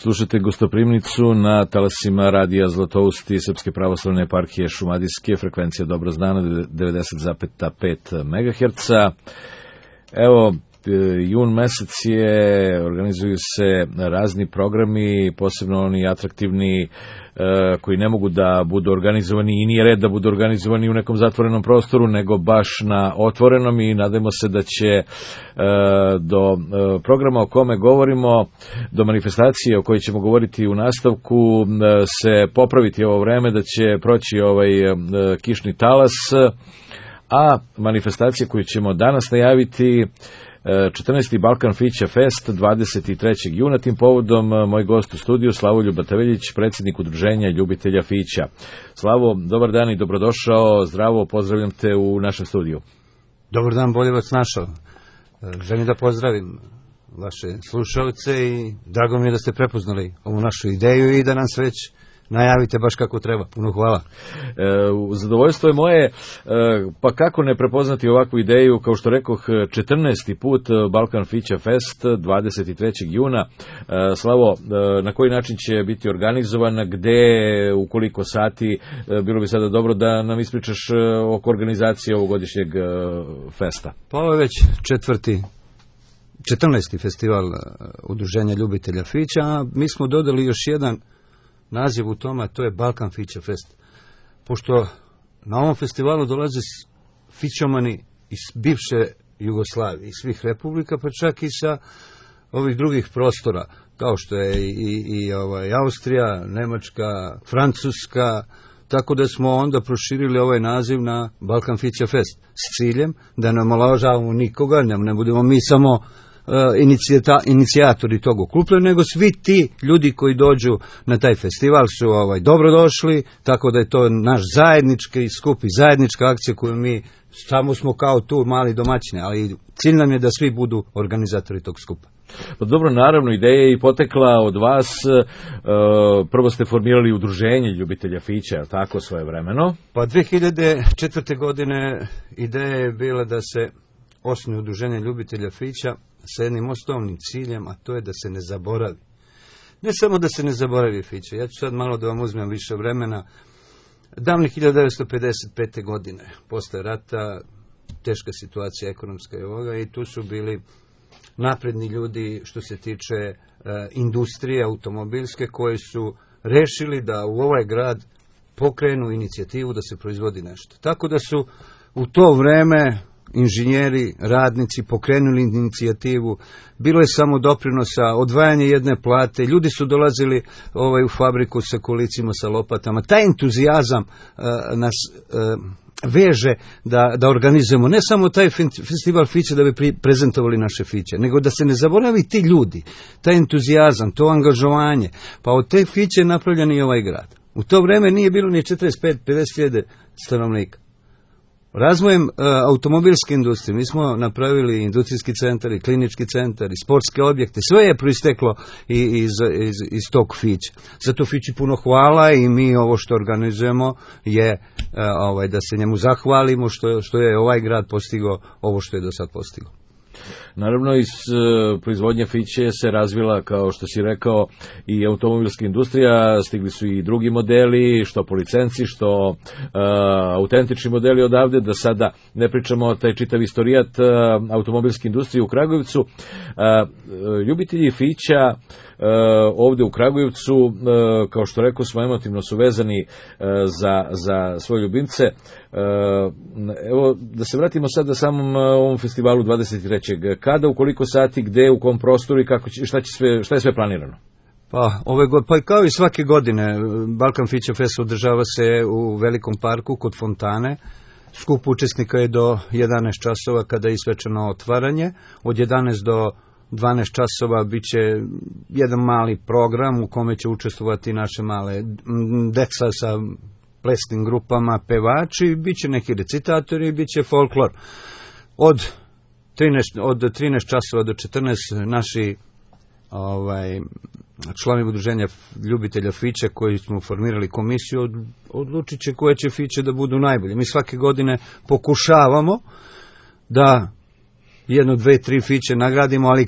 Slušajte Gostoprimnicu na talasima radija Zlatoust i Srpske pravoslavne eparhije Šumadijske, frekvencija Dobro znana 90,5 MHz. Evo, jun mesec je, organizuju se razni programi, posebno oni atraktivni koji ne mogu da budu organizovani i nije red da budu organizovani u nekom zatvorenom prostoru, nego baš na otvorenom, i nadajmo se da će do programa o kome govorimo, do manifestacije o kojoj ćemo govoriti u nastavku, se popraviti ovo vreme, da će proći ovaj kišni talas, a manifestacije koju ćemo danas najaviti 14. Balkan Fića Fest 23. juna. Tim povodom moj gost u studiju Slavoljub Bataveljić, predsjednik Udruženja ljubitelja Fića. Slavo, dobar dan i dobrodošao, zdravo, pozdravljam te u našem studiju. Dobar dan, bolje vas našao. Želim da pozdravim vaše slušalce i drago mi je da ste prepoznali ovu našu ideju i da nam se već najavite baš kako treba. Puno hvala. Zadovoljstvo je moje, pa kako ne prepoznati ovakvu ideju, kao što rekoh, 14. put Balkan Fića Fest 23. juna. Slavo, na koji način će biti organizovan, gde, u koliko sati? Bilo bi sada dobro da nam ispričaš oko organizacije ovogodišnjeg festa. Pa ovo je već 14. festival Udruženja ljubitelja Fića, a mi smo dodali još jedan naziv u tome, to je Balkan Fića Fest. Pošto na ovom festivalu dolaze fićomani iz bivše Jugoslavije, iz svih republika, pa čak i sa ovih drugih prostora, kao što je i Austrija, Nemačka, Francuska, tako da smo onda proširili ovaj naziv na Balkan Fića Fest s ciljem da ne omalovažavamo nikoga, ne budemo mi samo inicijatori tog okupljanja, nego svi ti ljudi koji dođu na taj festival su dobrodošli, tako da je to naš zajednički skup i zajednička akcija koju mi samo smo kao tu mali domaćini, ali cilj nam je da svi budu organizatori tog skupa. Pa dobro, naravno, ideja je i potekla od vas. Prvo ste formirali Udruženje ljubitelja Fića, tako, svojevremeno? Pa 2004. godine ideja je bila da se osnuje Udruženje ljubitelja Fića sa jednim osnovnim ciljem, a to je da se ne zaboravi. Ne samo da se ne zaboravi Fića, ja ću sad malo da vam uzmem više vremena. Davne 1955. godine, posle rata, teška situacija ekonomska i ovoga, i tu su bili napredni ljudi što se tiče industrije automobilske, koji su rešili da u ovaj grad pokrenu inicijativu da se proizvodi nešto. Tako da su u to vreme inženjeri, radnici pokrenuli inicijativu, bilo je samo doprinosa, odvajanje jedne plate, ljudi su dolazili u fabriku sa kolicima, sa lopatama. Taj entuzijazam nas veže da organizujemo ne samo taj festival Fića da bi prezentovali naše Fiće, nego da se ne zaboravi ti ljudi, taj entuzijazam, to angažovanje. Pa od te Fiće je napravljen i ovaj grad. U to vreme nije bilo ni 45-50 stanovnika. Razvojem automobilske industrije mi smo napravili industrijski centar i klinički centar i sportske objekte, sve je proisteklo iz tog Fića. Zato Fići puno hvala i mi ovo što organizujemo je da se njemu zahvalimo što je ovaj grad postigao ovo što je do sad postigao. Naravno, iz proizvodnje Fiće se razvila, kao što si rekao, i automobilska industrija, stigli su i drugi modeli, što po licenci, što autentični modeli odavde, da sada ne pričamo taj čitav istorijat automobilske industrije u Kragujevcu. Ljubitelji Fića ovde u Kragujevcu, kao što rekao smo, emotivno su vezani za svoje ljubimce. Evo, da se vratimo sad na samom ovom festivalu 23. Kada, u koliko sati, gde, u kom prostoru i šta je sve planirano? Pa kao i svake godine, Balkan Fića Fest održava se u Velikom parku kod fontane. Skup učesnika je do 11 časova kada je svečano otvaranje. Od 11 do 12 časova bit će jedan mali program u kome će učestvovati naše male deca sa plesnim grupama, pevači, bit će neki recitatori, bit će folklor. Od 13 časova do 14 naši članovi Udruženja ljubitelja Fića, koji smo formirali komisiju, odlučit će koje će Fiće da budu najbolje. Mi svake godine pokušavamo da jedno, 2, 3 fiće nagradimo, ali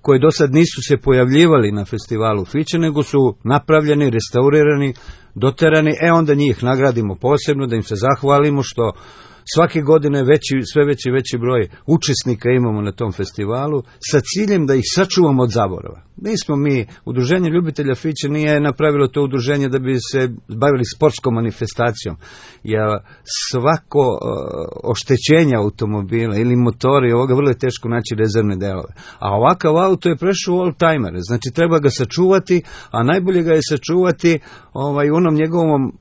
koje do sad nisu se pojavljivali na festivalu fiće, nego su napravljeni, restaurirani, doterani, onda njih nagradimo posebno, da im se zahvalimo što svake godine sve veći broj učesnika imamo na tom festivalu, sa ciljem da ih sačuvamo od zaborava. Nismo mi, Udruženje ljubitelja fiće nije napravilo to udruženje da bi se bavili sportskom manifestacijom, jer svako oštećenje automobila ili motori, ovoga vrlo je teško naći rezervne delove. A ovakav auto je prešao u oldtimere, znači treba ga sačuvati, a najbolje ga je sačuvati u onom njegovom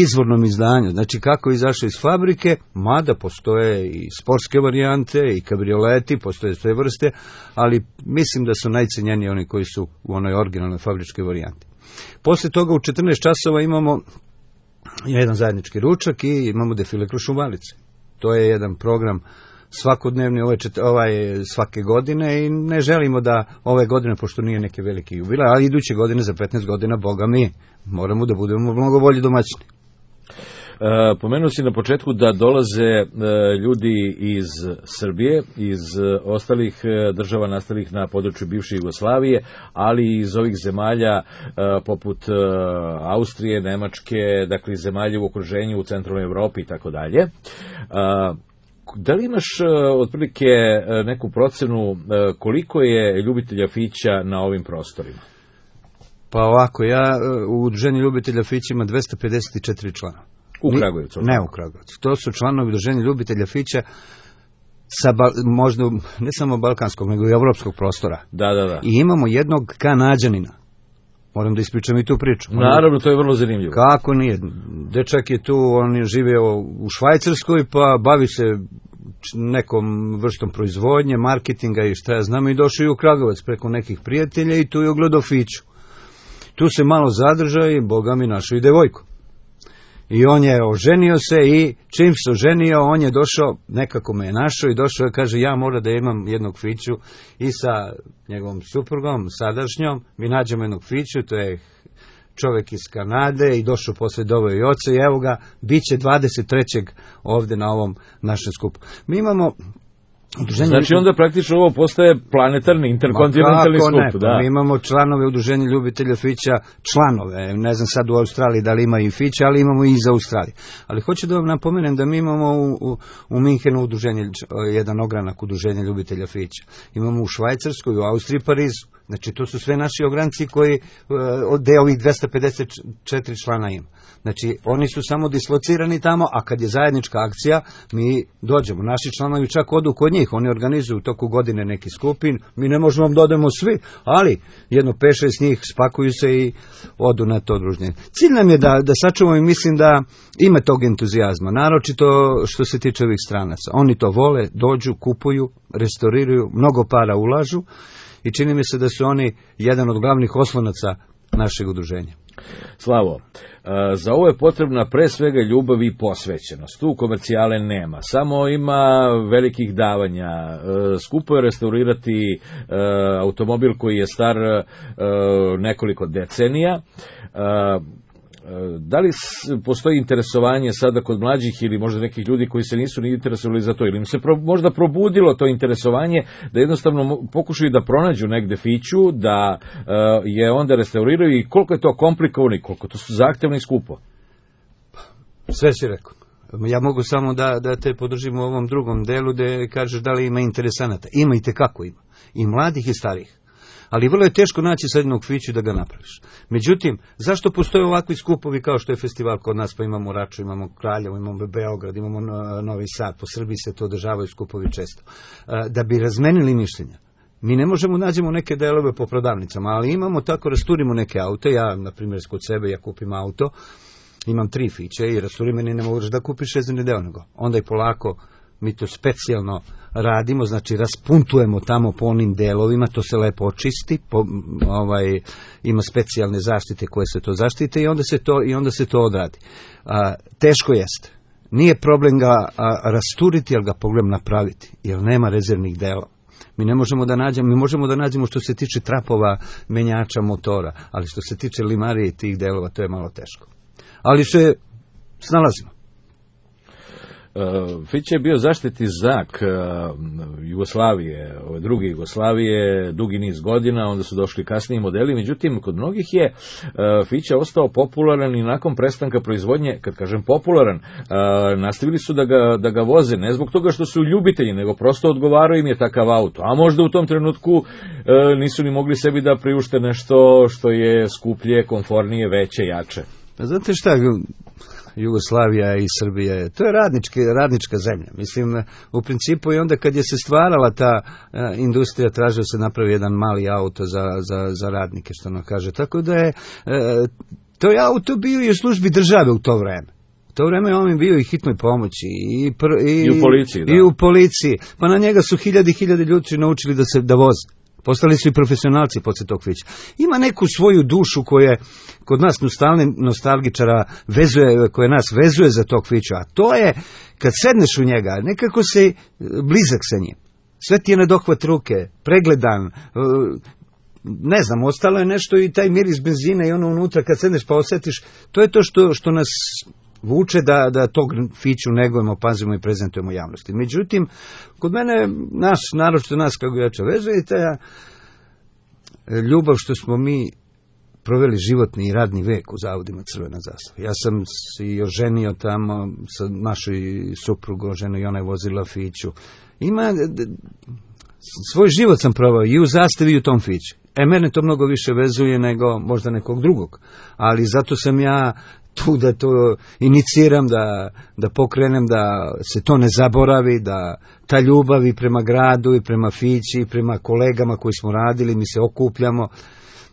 izvornom izdanju, znači kako je izašao iz fabrike, mada postoje i sportske varijante i kabrioleti, postoje sve vrste, ali mislim da su najcenjeniji oni koji su u onoj originalnoj fabričkoj varijanti. Posle toga u 14 časova imamo jedan zajednički ručak i imamo defile kroz Šumalice. To je jedan program svakodnevni, svake godine, i ne želimo da ove godine, pošto nije neke velike jubilej, ali iduće godine za 15 godina, Boga mi, moramo da budemo mnogo bolji domaćini. Pomenuo si na početku da dolaze ljudi iz Srbije, iz ostalih država nastalih na području bivše Jugoslavije, ali i iz ovih zemalja poput Austrije, Nemačke, dakle zemalja u okruženju u centralnoj Evropi i tako dalje. Da li imaš otprilike neku procenu koliko je ljubitelja fića na ovim prostorima? Pa ovako, u Udruženju ljubitelja fića ima 254 člana. U Kragujevcu? Ne u Kragujevcu. To su članovi Udruženja ljubitelja fića sa možda ne samo balkanskog, nego i evropskog prostora. Da. I imamo jednog Kanađanina. Moram da ispričam i tu priču. Naravno, to je vrlo zanimljivo. Kako nije? Dečak je tu, on je živeo u Švajcarskoj, pa bavi se nekom vrstom proizvodnje, marketinga i šta ja znam, i došao i u Kragujevac preko nekih prijatelja i tu je ogledao fiću. Tu se malo zadržao i Boga mi našao i devojku. I on je oženio se i čim se oženio, on je došao, nekako me je našao i došao i kaže, ja moram da imam jednog fiću, i sa njegovom suprugom, sadašnjom, mi nađemo jednog fiću, to je čovjek iz Kanade, i došao posle doveo i oca, i evo ga, bit će 23. ovde na ovom našem skupu. Mi imamo Znači onda praktično ovo postaje planetarni, interkontinentalni skup. Da. Mi imamo članove Udruženja ljubitelja fića, članove, ne znam sad u Australiji da li ima i fića, ali imamo i iz Australije. Ali hoću da vam napomenem da mi imamo u Minhenu udruženje, jedan ogranak Udruženja ljubitelja fića. Imamo u Švajcarskoj, u Austriji, Parizu. Znači to su sve naši ogranci koji deo ovih 254 člana ima. Znači oni su samo dislocirani tamo, a kad je zajednička akcija mi dođemo. Naši članovi čak odu kod njih, oni organizuju u toku godine neki skupin, mi ne možemo vam dodemo svi, ali jedno 5-6 njih spakuju se i odu na to druženje. Cilj nam je da sačuvamo, i mislim da ima tog entuzijazma, naročito što se tiče ovih stranaca. Oni to vole, dođu, kupuju, restauriraju, mnogo para ulažu, i čini mi se da su oni jedan od glavnih oslonaca našeg udruženja. Slavo, za ovo je potrebna pre svega ljubav i posvećenost. Tu komercijale nema, samo ima velikih davanja. Skupo je restaurirati automobil koji je star nekoliko decenija. Da li postoji interesovanje sada kod mlađih ili možda nekih ljudi koji se nisu ni interesovali za to, ili im se možda probudilo to interesovanje da jednostavno pokušaju da pronađu negde fiću, da je onda restauriraju, i koliko je to komplikovano i koliko to su zahtevno i skupo? Sve si rekao. Ja mogu samo da te podržim u ovom drugom delu gde kažeš da li ima interesanata. Ima i tekako ima. I mladih i starih. Ali vrlo je teško naći sad jednog fiću da ga napraviš. Međutim, zašto postoje ovakvi skupovi kao što je festival kod nas, pa imamo Raču, imamo Kraljevo, imamo Beograd, imamo Novi Sad, po Srbiji se to održavaju skupovi često. Da bi razmenili mišljenja. Mi ne možemo nađemo neke delove po prodavnicama, ali imamo tako, rasturimo neke aute. Ja, na primjer, kod sebe, ja kupim auto, imam 3 fiće i rasturim, meni ne možeš da kupiš 6 deo nego. Onda i polako mi to specijalno radimo, znači raspuntujemo tamo po onim delovima, to se lepo očisti, ima specijalne zaštite koje se to zaštite, i onda se to odradi. Teško jeste. Nije problem ga rasturiti, ali ga problem napraviti, jer nema rezervnih delova. Mi ne možemo da nađemo, mi možemo da nađemo što se tiče trapova, menjača motora, ali što se tiče limarije i tih delova, to je malo teško. Ali se snalazimo. Fića je bio zaštitni znak Jugoslavije, ove druge Jugoslavije, dugi niz godina, onda su došli kasniji modeli, međutim, kod mnogih je Fića ostao popularan i nakon prestanka proizvodnje, kad kažem popularan, nastavili su da ga voze, ne zbog toga što su ljubitelji, nego prosto odgovarao im je takav auto, a možda u tom trenutku nisu ni mogli sebi da priušte nešto što je skuplje, komfornije, veće, jače. Pa znate šta, Jugoslavija i Srbija, to je radnička zemlja. Mislim, u principu i onda kad je se stvarala ta industrija, tražio se napravi jedan mali auto za radnike, što ono kaže. Tako da je to je auto bio i u službi države u to vreme. U to vreme on je bio i hitnoj pomoći i u policiji. Da. I u policiji. Pa na njega su hiljade ljudi naučili da voze. Postali su i profesionalci poslije tog Fića. Ima neku svoju dušu koja kod nas nostalgičara koja nas vezuje za tog Fića. A to je, kad sedneš u njega, nekako se blizak sa njim. Sve ti je na dohvat ruke, pregledan, ne znam, ostalo je nešto i taj miris benzina i ono unutra, kad sedneš pa osjetiš, to je to što nas vuče da tog Fiću negujemo, pazimo i prezentujemo javnosti. Međutim, kod mene, naročito nas kako jača vezuje, i ta ljubav što smo mi proveli životni i radni vek u zavodima Crvena zastava. Ja sam se i oženio tamo, sa našoj suprugu oženio i ona je vozila Fiću. Svoj život sam provao i u zastavi i u tom Fiću. Mene to mnogo više vezuje nego možda nekog drugog. Ali zato sam ja tu da to iniciram, da pokrenem, da se to ne zaboravi, da ta ljubav i prema gradu i prema Fići i prema kolegama koji smo radili, mi se okupljamo,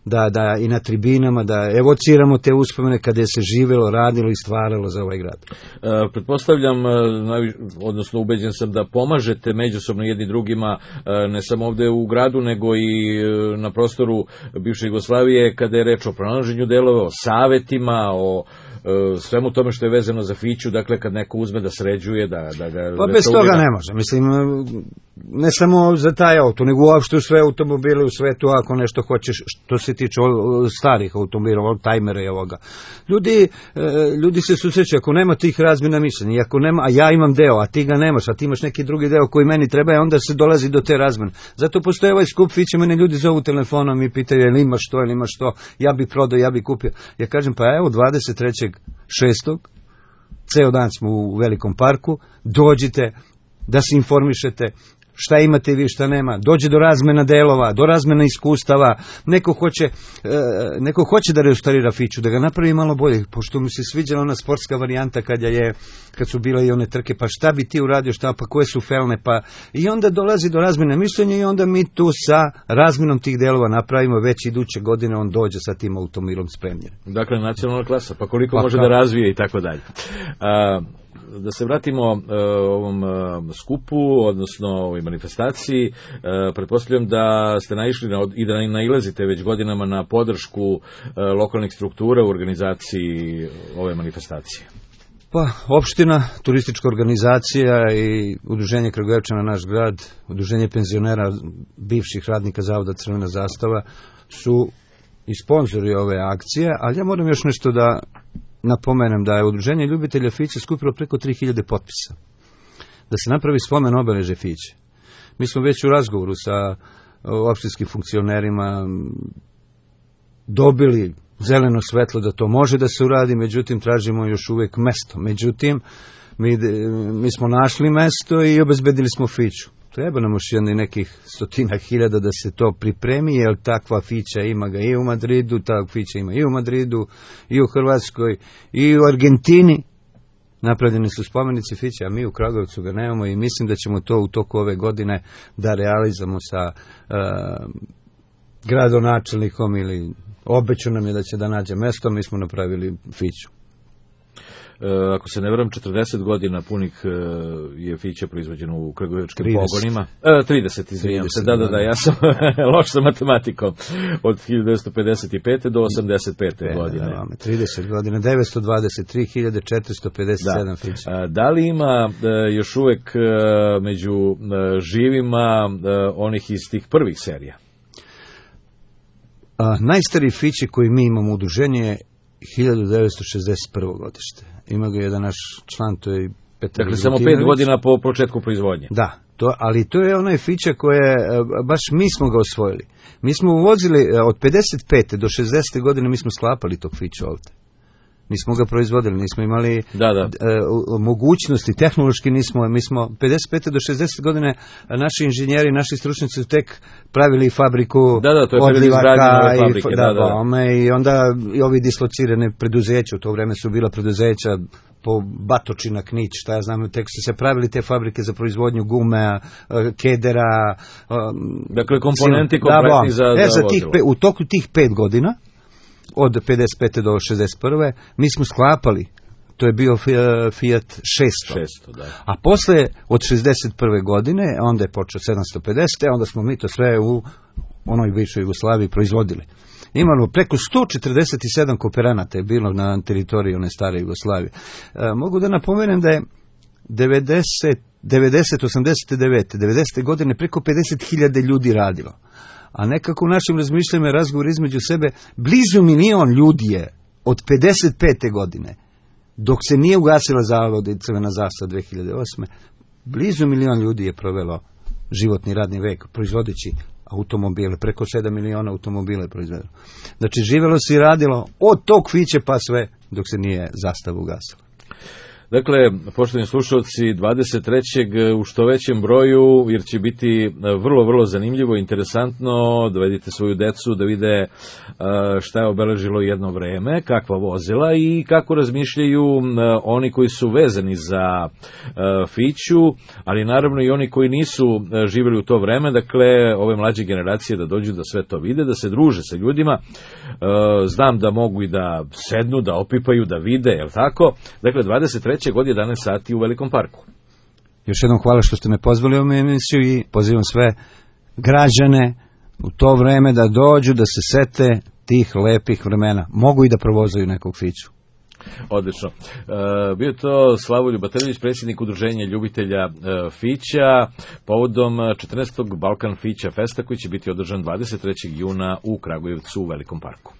da i na tribinama, da evociramo te uspomene kada je se živjelo, radilo i stvaralo za ovaj grad. Pretpostavljam, odnosno ubeđen sam da pomažete međusobno jedni drugima, ne samo ovde u gradu, nego i na prostoru bivše Jugoslavije, kada je reč o pronalaženju delova, o savetima, o svemu tome što je vezano za Fiću, dakle kad neko uzme da sređuje, da ga... Pa bez toga ne može, mislim, ne samo za taj auto, nego uopšte u sve automobile u svetu, ako nešto hoćeš, što se tiče starih automobila, oldtimera i ovoga. Ljudi se susreću, ako nema tih razmjena mišljenja, ako nema, a ja imam deo, a ti ga nemaš, a ti imaš neki drugi deo koji meni treba, onda se dolazi do te razmjene. Zato postoje ovaj skup Fića, mene ljudi zovu telefonom i pitaju, jel imaš to, ja bi prodao, ja bi kupio. Ja kažem, pa evo, 23.6. ceo dan smo u Velikom parku, dođite da se informišete šta imate vi, šta nema, dođe do razmena delova, do razmena iskustava, neko hoće da restaurira Fiću, da ga napravi malo bolje, pošto mi se sviđala ona sportska varijanta kad su bile i one trke, pa šta bi ti uradio, pa koje su felne, pa i onda dolazi do razmene mišljenja i onda mi tu sa razmenom tih delova napravimo, već iduće godine on dođe sa tim automobilom spremljen. Dakle, nacionalna klasa, pa koliko može da razvije i tako dalje. Da se vratimo ovom skupu, odnosno ovoj manifestaciji, pretpostavljam da ste naišli i da nailazite već godinama na podršku lokalnih struktura u organizaciji ove manifestacije. Pa, opština, turistička organizacija i Udruženje Kragujevčana naš grad, Udruženje penzionera bivših radnika Zavoda Crvena zastava su i sponzori ove akcije, ali ja moram još nešto da napomenem da je Udruženje ljubitelja Fiće skupilo preko 3000 potpisa da se napravi spomen obeležje Fiće. Mi smo već u razgovoru sa opštinskim funkcionerima dobili zeleno svetlo da to može da se uradi, međutim tražimo još uvijek mesto. Međutim, mi smo našli mesto i obezbedili smo Fiću. Treba nam još nekih 100.000 da se to pripremi, jer takva Fića ima ga i u Madridu, takva Fića ima i u Madridu, i u Hrvatskoj, i u Argentini. Napravljeni su spomenici Fića, a mi u Kragujevcu ga nemamo i mislim da ćemo to u toku ove godine da realizamo sa gradonačelnikom ili obećao nam je da će da nađe mesto, mi smo napravili Fiću. Ako se ne varam, 40 godina punih je Fića proizvođeno u kragujevčkim pogonima. 30, izvinjam se, da, ja sam loš sa matematikom. Od 1955. do 85. godine. 30 godina, 923.457 Fića. Da li ima još uvek među živima onih iz tih prvih serija? Najstariji Fići koji mi imamo udruženje je 1961. godište. Ima ga jedan naš član, to je Dakle, samo 5 godina po početku proizvodnje. Da, ali to je onaj fića koje, baš mi smo ga osvojili. Mi smo uvozili, od 55. do 60. godine mi smo sklapali tog fića ovdje. Nismo ga proizvodili, nismo imali mogućnosti, tehnološki nismo, mi smo 55. do 60. godine naši inženjeri, naši stručnjaci su tek pravili fabriku odlivaka i onda i ovi dislocirane preduzeća, u to vreme su bila preduzeća po Batočina, Knić, šta ja znam, tek su se pravili te fabrike za proizvodnju gume, kedera. Dakle, komponenti kompletni za vozilo. U toku tih 5 godina, od 55. do 61. mi smo sklapali, to je bio Fiat 600. Da. A posle od 61. godine, onda je počeo 750. Onda smo mi to sve u onoj bivšoj Jugoslaviji proizvodili. Imamo preko 147 kooperanata je bilo na teritoriji one stare Jugoslavije. Mogu da napomenem da je 90, 89, 90. godine preko 50.000 ljudi radilo. A nekako u našim razmišljanjima i razgovor između sebe, blizu 1 milion ljudi je od 55. godine, dok se nije ugasila zavod i crvena zastava 2008. Blizu 1 milion ljudi je provelo životni radni vek, proizvodeći automobile, preko 7 miliona automobila je proizvedeno. Znači, živjelo se i radilo od tog fiće pa sve, dok se nije zastava ugasila. Dakle, poštovani slušalci, 23. u što većem broju, jer će biti vrlo, vrlo zanimljivo, interesantno, dovedite svoju decu da vide šta je obeležilo jedno vreme, kakva vozila i kako razmišljaju oni koji su vezani za Fiću, ali naravno i oni koji nisu živjeli u to vreme, dakle, ove mlađe generacije da dođu da sve to vide, da se druže sa ljudima. Znam da mogu i da sednu, da opipaju, da vide, je li tako? Dakle, 23. od 11 sati u Velikom parku. Još jednom hvala što ste me pozvali u emisiju i pozivam sve građane u to vreme da dođu, da se sete tih lepih vremena. Mogu i da provozaju nekog Fiću. Odlično. Bio to Slavoljub Batrljić, predsjednik Udruženja ljubitelja Fića, povodom 14. Balkan Fića Festa koji će biti održan 23. juna u Kragujevcu u Velikom parku.